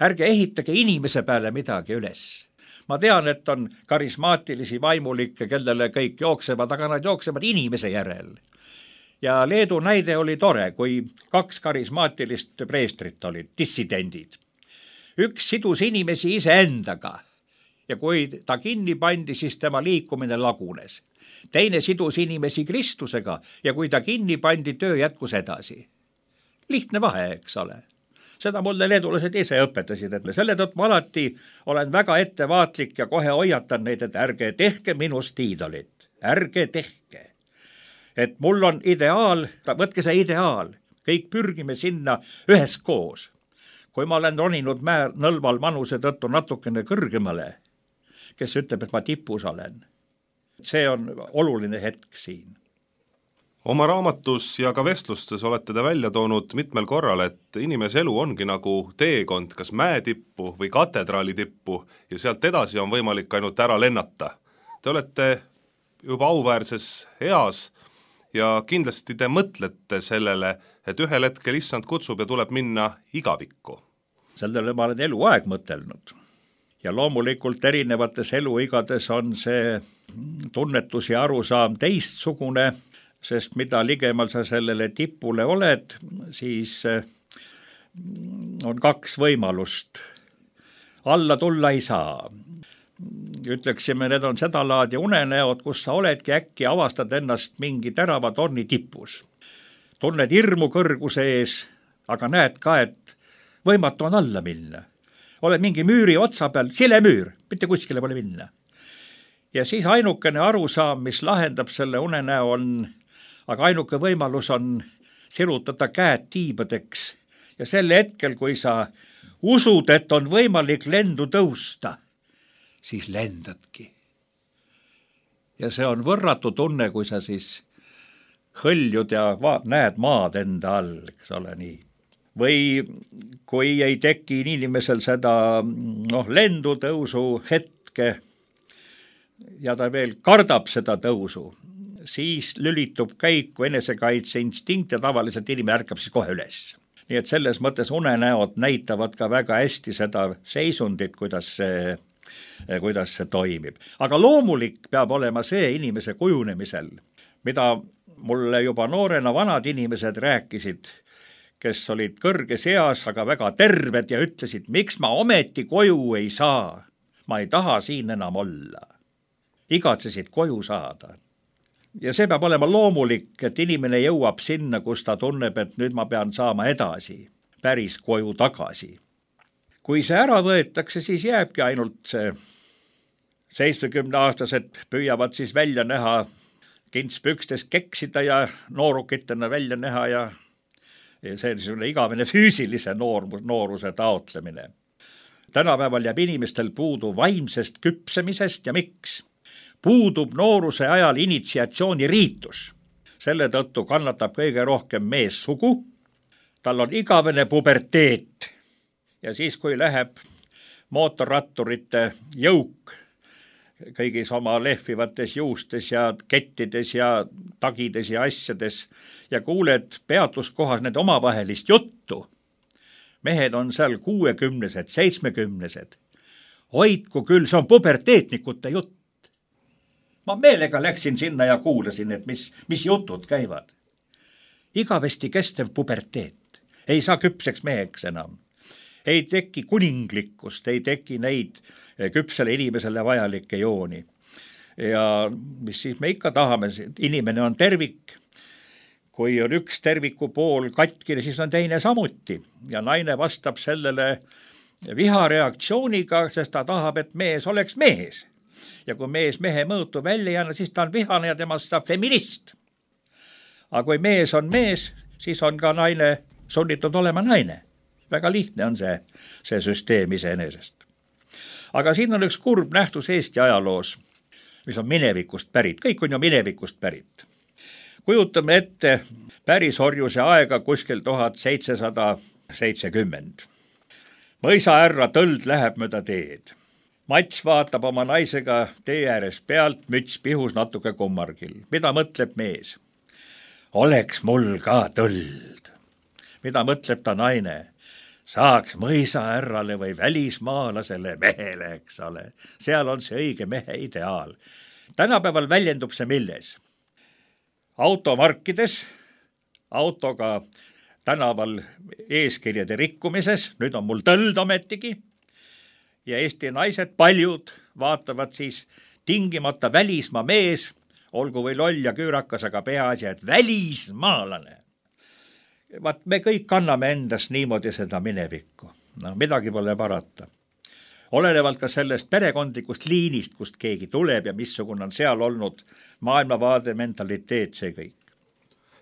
Ärge ehitage inimese peale midagi üles. Ma tean, et on karismaatilisi vaimulikke, kellele kõik jooksevad, aga nad jooksevad inimese järel. Ja Leedu näide oli tore, kui kaks karismaatilist preestrit olid, dissidendid. Üks sidus inimesi iseendaga ja kui ta kinni pandi, siis tema liikumine lagunes. Teine sidus inimesi Kristusega ja kui ta kinni pandi, töö jätkus edasi. Lihtne vahe, eks ole. Seda mulle leedulased ise õpetasid, et selle tõttu ma alati olen väga ettevaatlik ja kohe hoiatan neid, et ärge tehke minust iidolit. Ärge tehke. Et mul on ideaal, võtke see ideaal, kõik pürgime sinna üheskoos. Kui ma olen roninud määr nõlval manuse tõttu natukene kõrgemale, kes ütleb, et ma tipus olen. See on oluline hetk siin. Oma raamatus ja ka vestlustes olete te välja toonud mitmel korral, et inimese elu ongi nagu teekond, kas mäetippu või katedraali tippu ja sealt edasi on võimalik ainult ära lennata. Te olete juba auväärses eas ja kindlasti te mõtlete sellele, et ühel hetkel issand kutsub ja tuleb minna igavikku. Sellele ma olen eluaeg mõtelnud. Ja loomulikult erinevates eluigades on see tunnetus ja arusaam teistsugune, sest mida ligemal sa sellele tipule oled, siis on kaks võimalust. Alla tulla ei saa. Ütleksime, need on seda laadi unenäod, kus sa oledki äkki avastad ennast mingi terava torni tipus. Tunned hirmu kõrguse ees, aga näed ka, et võimatu on alla minna. Oled mingi müüri otsa peal, sile müür, mitte kuskile pole minna. Ja siis ainukene arusaam, mis lahendab selle unenäo on, aga ainuke võimalus on sirutada käed tiibadeks ja sel hetkel, kui sa usud, et on võimalik lendu tõusta, siis lendadki. Ja see on võrratu tunne, kui sa siis hõljud ja va- näed maad enda all, eks ole nii. Või kui ei teki inimesel seda noh, lendu tõusu hetke ja ta veel kardab seda tõusu, siis lülitub käiku enesekaitse instinkt ja tavaliselt inimene ärkab siis kohe üles. Nii et selles mõttes unenäod näitavad ka väga hästi seda seisundit, kuidas see, kuidas see toimib. Aga loomulik peab olema see inimese kujunemisel, mida mulle juba noorena vanad inimesed rääkisid, kes olid kõrges eas, aga väga terved ja ütlesid, miks ma ometi koju ei saa. Ma ei taha siin enam olla. Igatsesid koju saada. Ja see peab olema loomulik, et inimene jõuab sinna, kus ta tunneb, et nüüd ma pean saama edasi, päris koju tagasi. Kui see ära võetakse, siis jääbki ainult see seitsmekümne aastased püüavad siis välja näha, kintspükstes keksida ja noorukitena välja näha ja, ja see on igavene füüsilise noormus, nooruse taotlemine. Tänapäeval jääb inimestel puudu vaimsest küpsemisest ja miks? Puudub nooruse ajal initsiatsiooni riitus. Selle tõttu kannatab kõige rohkem meessugu. Tal on igavene puberteet. Ja siis, kui läheb mootorratturite jõuk kõigis oma lehvivates juustes ja kettides ja tagides ja asjades ja kuuled peatuskohas need omavahelist juttu. Mehed on seal kuuekümnesed, seitsmekümnesed. Hoidku küll, see on puberteetnikute jutt. Ma meelega läksin sinna ja kuulasin, et mis, mis jutud käivad. Igavesti kestev puberteet. Ei saa küpseks meheks enam. Ei teki kuninglikkust, ei teki neid küpsele inimesele vajalikke jooni. Ja mis siis me ikka tahame, inimene on tervik. Kui on üks terviku pool katkine, siis on teine samuti. Ja naine vastab sellele vihareaktsiooniga, sest ta tahab, et mees oleks mees. Ja kui mees mehe mõõtu välja jääna, siis ta on vihane ja temast saab feminist. Aga kui mees on mees, siis on ka naine sunnitud olema naine. Väga lihtne on see, see süsteem iseenesest. Aga siin on üks kurb nähtus Eesti ajaloos, mis on minevikust pärit. Kõik on ju minevikust pärit. Kujutame ette pärisorjuse aega kuskil tuhat seitsesada seitsekümmend. Mõisaärra tõld läheb mööda teed. Mats vaatab oma naisega tee ääres pealt, müts pihus natuke kummargil. Mida mõtleb mees? Oleks mul ka tõld. Mida mõtleb ta naine? Saaks mõisaärrale või välismaalasele mehele, eks ole. Seal on see õige mehe ideaal. Tänapäeval väljendub see milles? Automarkides, autoga tänaval eeskirjade rikkumises, nüüd on mul tõld ometigi, ja Eesti naised paljud vaatavad siis tingimata välismaa mees, olgu või loll ja küürakas, aga peaasi, et välismaalane. Vaat me kõik kanname endast niimoodi seda minevikku. No, midagi pole parata. Olenevalt ka sellest perekondlikust liinist, kust keegi tuleb ja missugune on seal olnud maailmavaade, mentaliteet, see kõik.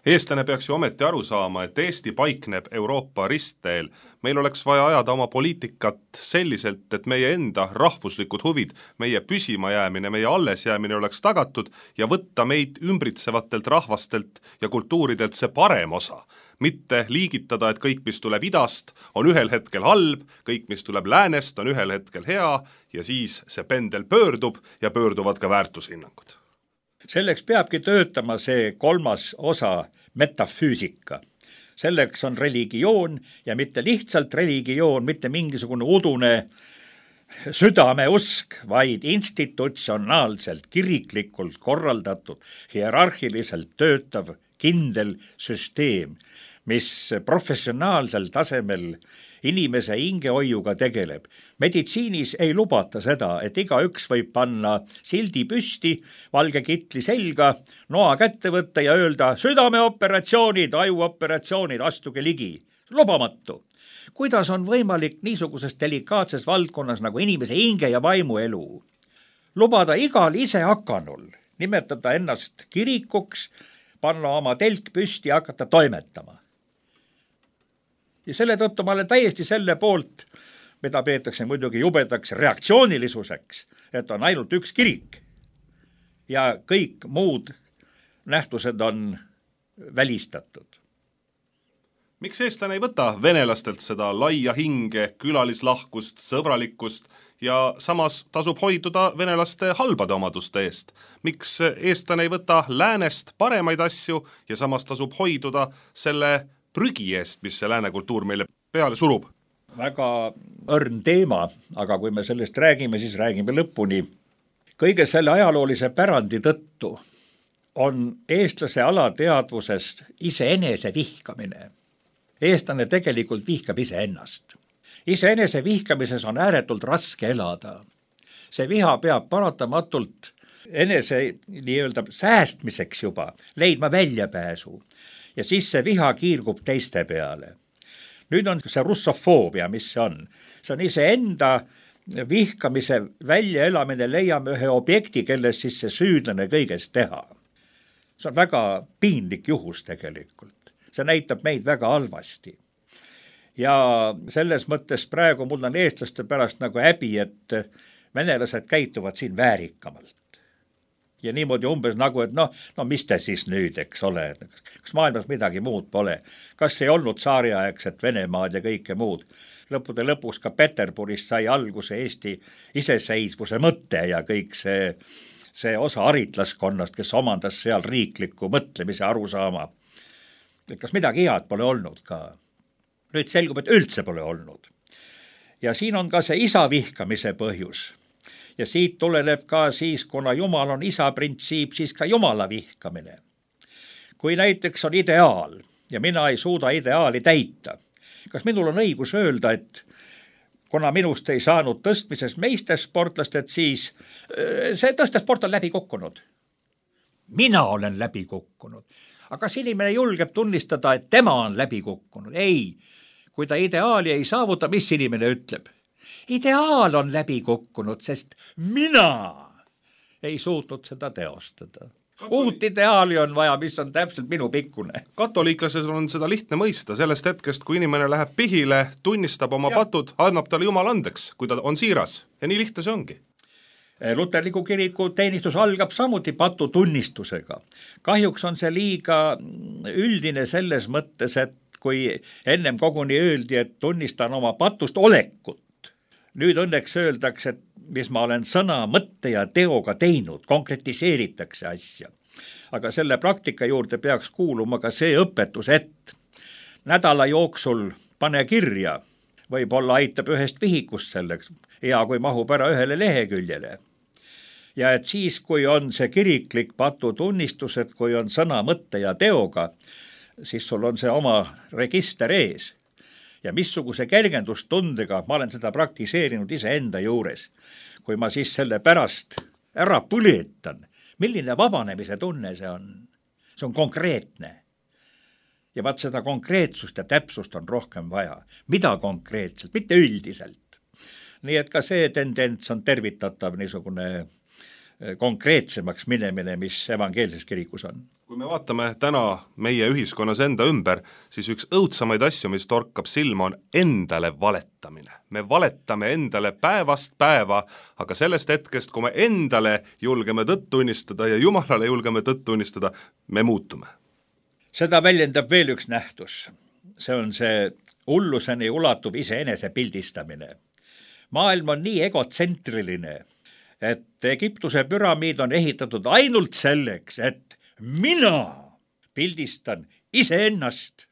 eestlane peaks ju ometi aru saama, et Eesti paikneb Euroopa ristteel. Meil oleks vaja ajada oma poliitikat selliselt, et meie enda rahvuslikud huvid, meie püsimajäämine, meie allesjäämine oleks tagatud ja võtta meid ümbritsevatelt rahvastelt ja kultuuridelt see parem osa. Mitte liigitada, et kõik, mis tuleb idast, on ühel hetkel halb, kõik, mis tuleb läänest, on ühel hetkel hea ja siis see pendel pöördub ja pöörduvad ka väärtushinnangud. Selleks peabki töötama see kolmas osa, metafüüsika. Selleks on religioon ja mitte lihtsalt religioon, mitte mingisugune udune südameusk, vaid institutsionaalselt, kiriklikult korraldatud, hierarhiliselt töötav kindel süsteem, mis professionaalsel tasemel inimese hingehoiuga tegeleb. Meditsiinis ei lubata seda, et igaüks võib panna sildi püsti, valge kitli selga, noa kätte võtta ja öelda südameoperatsioonid, ajuoperatsioonid, astuge ligi. Lubamatu. Kuidas on võimalik niisuguses delikaatses valdkonnas nagu inimese hinge ja vaimu elu? Lubada igal ise hakanul, nimetada ennast kirikuks, panna oma telk püsti ja hakata toimetama. Ja selle tõttu ma olen täiesti selle poolt, mida peetakse muidugi jubedaks reaktsioonilisuseks, et on ainult üks kirik ja kõik muud nähtused on välistatud. Miks eestlane ei võta venelastelt seda laia hinge, külalislahkust, sõbralikkust ja samas tasub hoiduda venelaste halbade omaduste eest? Miks eestlane ei võta läänest paremaid asju ja samas tasub hoiduda selle prügi eest, mis see lääne kultuur meile peale surub? Väga õrn teema, aga kui me sellest räägime, siis räägime lõpuni. Kõige selle ajaloolise pärandi tõttu on eestlase alateadvusest iseenese vihkamine. Eestlane tegelikult vihkab iseennast. Iseenese vihkamises on ääretult raske elada. See viha peab paratamatult enese nii-öelda säästmiseks juba leidma väljapääsu. Ja siis see viha kiirgub teiste peale. Nüüd on see russofoobia, mis see on. See on iseenda vihkamise väljaelamine, leiame ühe objekti, kelles siis see süüdlane kõigest teha. See on väga piinlik juhus tegelikult. See näitab meid väga halvasti. Ja selles mõttes praegu mul on eestlaste pärast nagu häbi, et venelased käituvad siin väärikamalt. Ja niimoodi umbes nagu, et noh, no mis te siis nüüd, eks ole, kas maailmas midagi muud pole, kas ei olnud saariaegset Venemaad ja kõike muud. Lõppude lõpuks ka Peterburist sai alguse Eesti iseseisvuse mõte ja kõik see, see osa aritlaskonnast, kes omandas seal riikliku mõtlemise arusaama. Et kas midagi head pole olnud ka. Nüüd selgub, et üldse pole olnud. Ja siin on ka see isa vihkamise põhjus. Ja siit tuleneb ka siis, kuna Jumal on isa printsiip, siis ka Jumala vihkamine. Kui näiteks on ideaal ja mina ei suuda ideaali täita, kas minul on õigus öelda, et kuna minust ei saanud tõstmises meistersportlast, et siis see tõstesport on läbi kukkunud. Mina olen läbi kukkunud. Aga kas inimene julgeb tunnistada, et tema on läbi kukkunud? Ei, kui ta ideaali ei saavuta, mis inimene ütleb? Ideaal on läbi kukkunud, sest mina ei suutnud seda teostada. Uut ideaali on vaja, mis on täpselt minu pikkune. Katoliiklases on seda lihtne mõista sellest hetkest, kui inimene läheb pihile, tunnistab oma ja. patud, annab talle Jumal andeks, kui ta on siiras. Ja nii lihtne see ongi. Luterliku kiriku teenistus algab samuti patu tunnistusega. Kahjuks on see liiga üldine selles mõttes, et kui ennem koguni öeldi, et tunnistan oma patust olekut, nüüd õnneks öeldakse, et mis ma olen sõna, mõtte ja teoga teinud, konkretiseeritakse asja. Aga selle praktika juurde peaks kuuluma ka see õpetus, et nädala jooksul pane kirja, võib-olla aitab ühest vihikust selleks, hea kui mahub ära ühele leheküljele. Ja et siis, kui on see kiriklik patu tunnistus, et kui on sõna, mõtte ja teoga, siis sul on see oma register ees. Ja missuguse kergendustundega ma olen seda praktiseerinud iseenda juures. Kui ma siis selle pärast ära põletan, milline vabanemise tunne see on? See on konkreetne. Ja vaat seda konkreetsust ja täpsust on rohkem vaja. Mida konkreetselt, mitte üldiselt. Nii et ka see tendents on tervitatav niisugune konkreetsemaks minemine, mis evangeelses kirikus on. Kui me vaatame täna meie ühiskonnas enda ümber, siis üks õudsamaid asju, mis torkab silma, on endale valetamine. Me valetame endale päevast päeva, aga sellest hetkest, kui me endale julgeme tõtt tunnistada ja Jumalale julgeme tõtt tunnistada, me muutume. Seda väljendab veel üks nähtus. See on see hulluseni ulatuv iseenese pildistamine. Maailm on nii egotsentriline, et Egiptuse püramiid on ehitatud ainult selleks, et mina pildistan iseennast.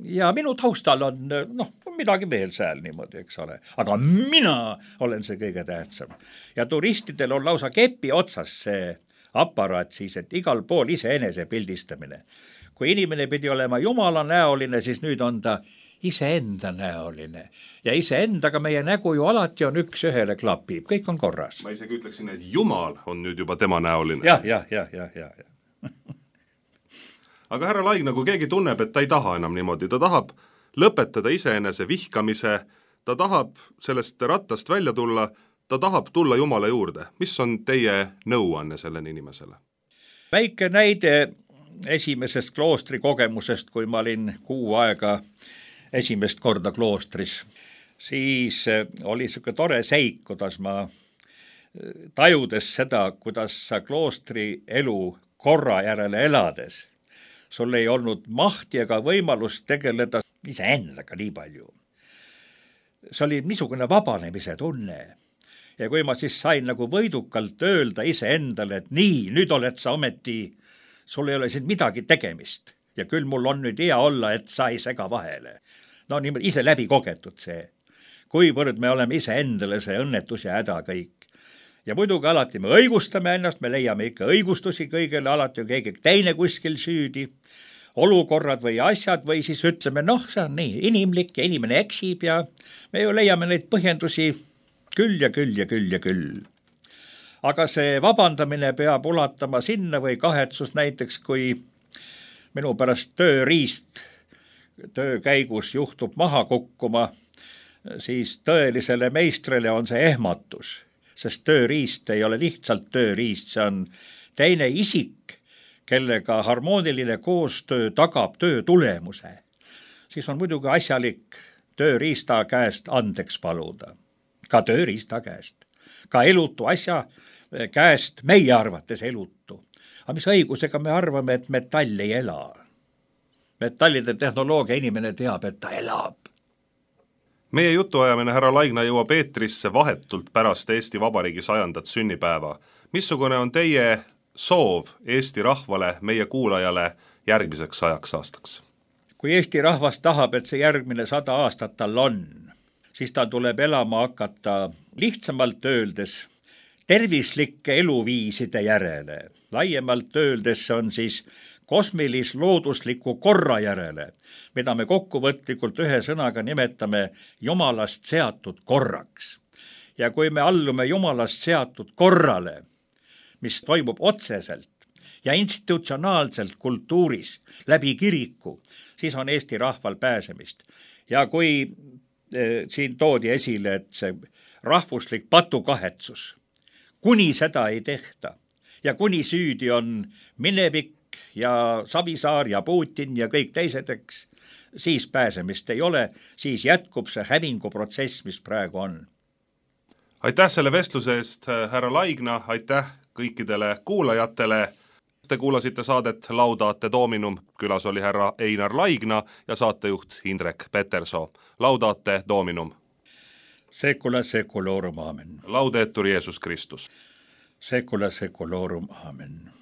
Ja minu taustal on noh, midagi veel seal niimoodi, eks ole. Aga mina olen see kõige tähtsam. Ja turistidel on lausa kepi otsas see aparaat siis, et igal pool iseenese pildistamine. Kui inimene pidi olema Jumala näoline, siis nüüd on ta iseenda näoline. Ja iseendaga meie nägu ju alati on üks ühele klapib, kõik on korras. Ma isegi ütleksin, et Jumal on nüüd juba tema näoline. Jah, jah, jah, jah, jah. Aga härra Laigna, kui keegi tunneb, et ta ei taha enam niimoodi, ta tahab lõpetada iseenese vihkamise, ta tahab sellest rattast välja tulla, ta tahab tulla Jumala juurde. Mis on teie nõuanne sellele inimesele? Väike näide esimesest kloostri kogemusest, kui ma olin kuu aega esimest korda kloostris, siis oli siuke tore seik, kuidas ma tajudes seda, kuidas sa kloostri elu korra järele elades, sul ei olnud mahti ega võimalust tegeleda iseendaga nii palju. See oli niisugune vabanemise tunne. Ja kui ma siis sain nagu võidukalt öelda iseendale, et nii, nüüd oled sa ometi, sul ei ole siin midagi tegemist ja küll mul on nüüd hea olla, et sa ei sega vahele. No niimoodi ise läbi kogetud see, kuivõrd me oleme ise endale see õnnetus ja häda kõik. Ja muidugi alati me õigustame ennast, me leiame ikka õigustusi kõigele, alati on keegi teine kuskil süüdi, olukorrad või asjad või siis ütleme, noh, see on nii inimlik ja inimene eksib ja me ju leiame neid põhjendusi küll ja küll ja küll ja küll. Aga see vabandamine peab ulatama sinna või kahetsus näiteks, kui minu pärast tööriist töö käigus juhtub maha kukkuma, siis tõelisele meistrile on see ehmatus, sest tööriist ei ole lihtsalt tööriist, see on teine isik, kellega harmooniline koostöö tagab töö tulemuse. Siis on muidugi asjalik tööriista käest andeks paluda, ka tööriista käest, ka elutu asja käest meie arvates elutu. Aga mis õigusega me arvame, et metall ei ela? Metallide tehnoloogia inimene teab, et ta elab. Meie jutuajamine härra Laigna jõuab eetrisse vahetult pärast Eesti Vabariigi sajandat sünnipäeva. Missugune on teie soov Eesti rahvale, meie kuulajale järgmiseks sajaks aastaks? Kui Eesti rahvas tahab, et see järgmine sada aastat tal on, siis ta tuleb elama hakata lihtsamalt öeldes tervislike eluviiside järele. Laiemalt öeldes on siis kosmilis-loodusliku korra järele, mida me kokkuvõtlikult ühe sõnaga nimetame Jumalast seatud korraks. Ja kui me allume Jumalast seatud korrale, mis toimub otseselt ja institutsionaalselt kultuuris läbi kiriku, siis on Eesti rahval pääsemist. Ja kui eh, siin toodi esile, et see rahvuslik patukahetsus, kuni seda ei tehta ja kuni süüdi on minevik ja Savisaar ja Putin ja kõik teisedeks, siis pääsemist ei ole, siis jätkub see hävinguprotsess, mis praegu on. Aitäh selle vestluse eest, härra Laigna, aitäh kõikidele kuulajatele. Te kuulasite saadet Laudate Dominum, külas oli härra Einar Laigna ja saatejuht Indrek Petersoo. Laudate Dominum. Secula seculorum, amen. Laudetur Jeesus Kristus. Secula seculorum, amen.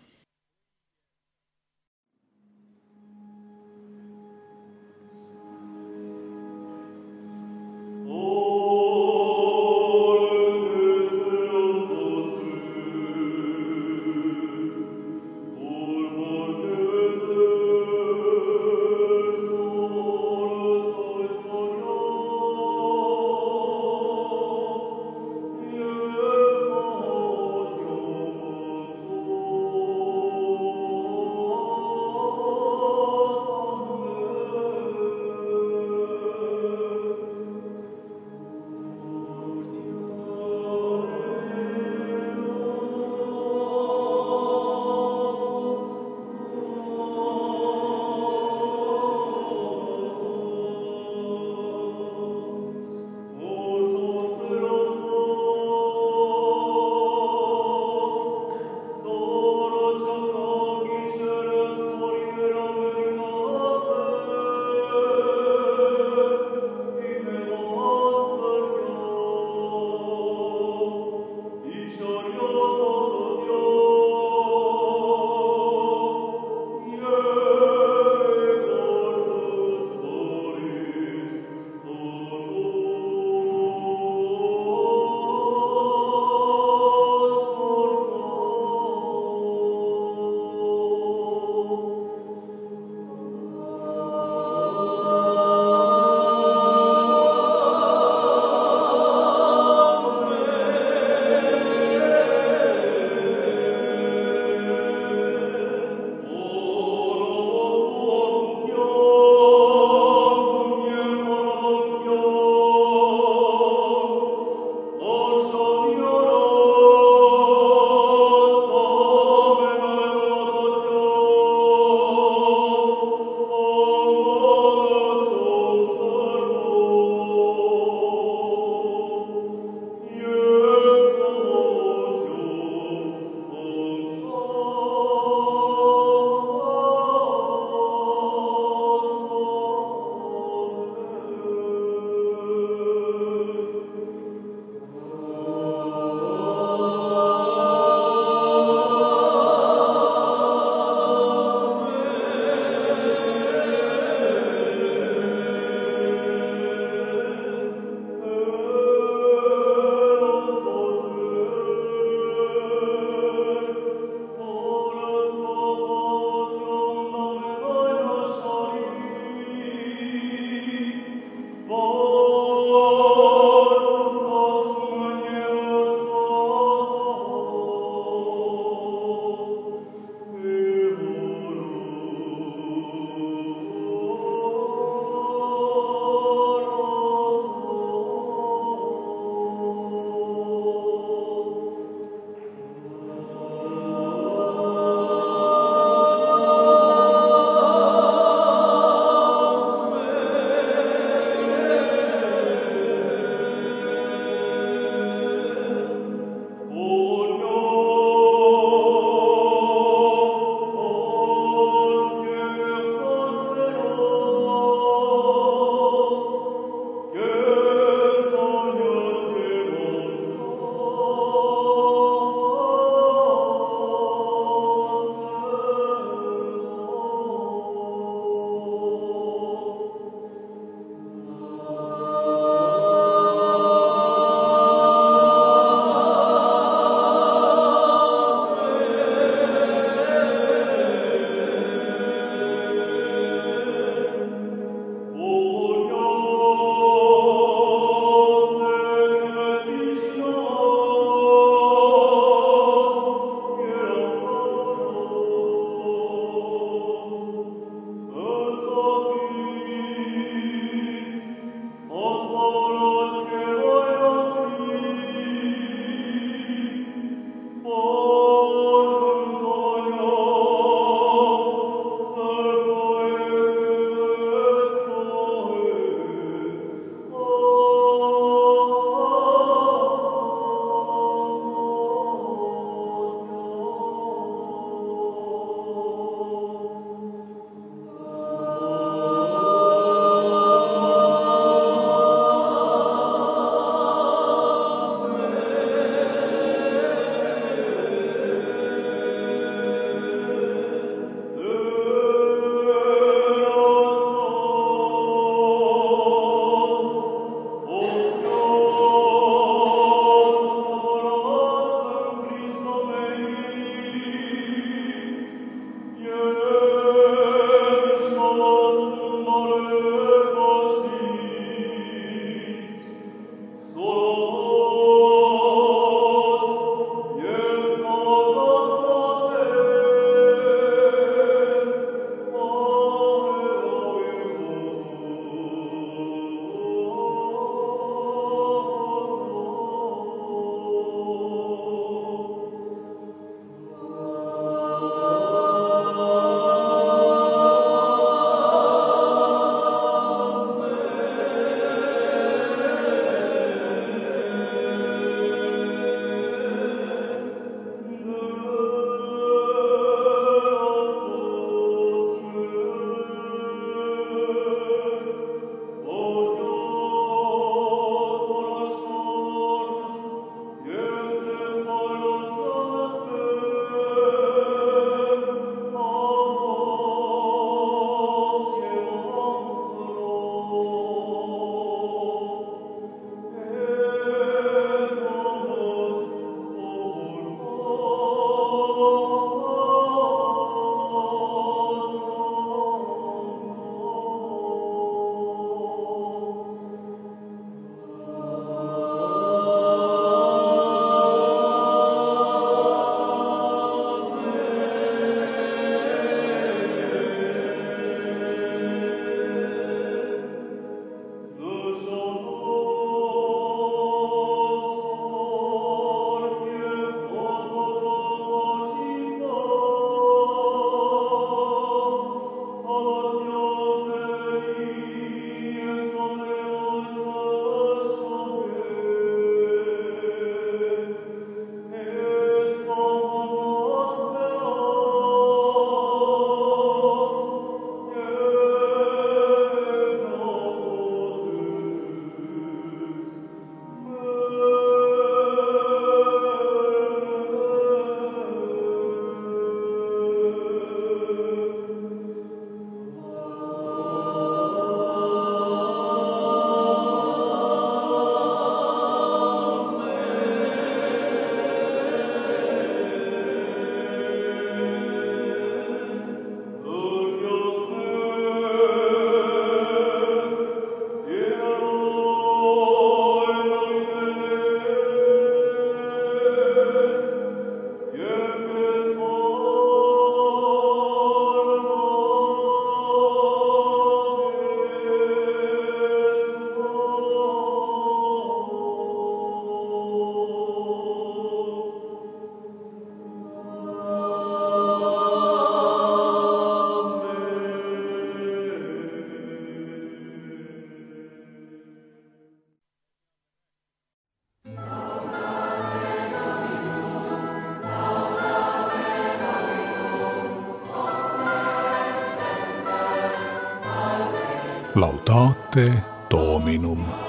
Laudate Dominum.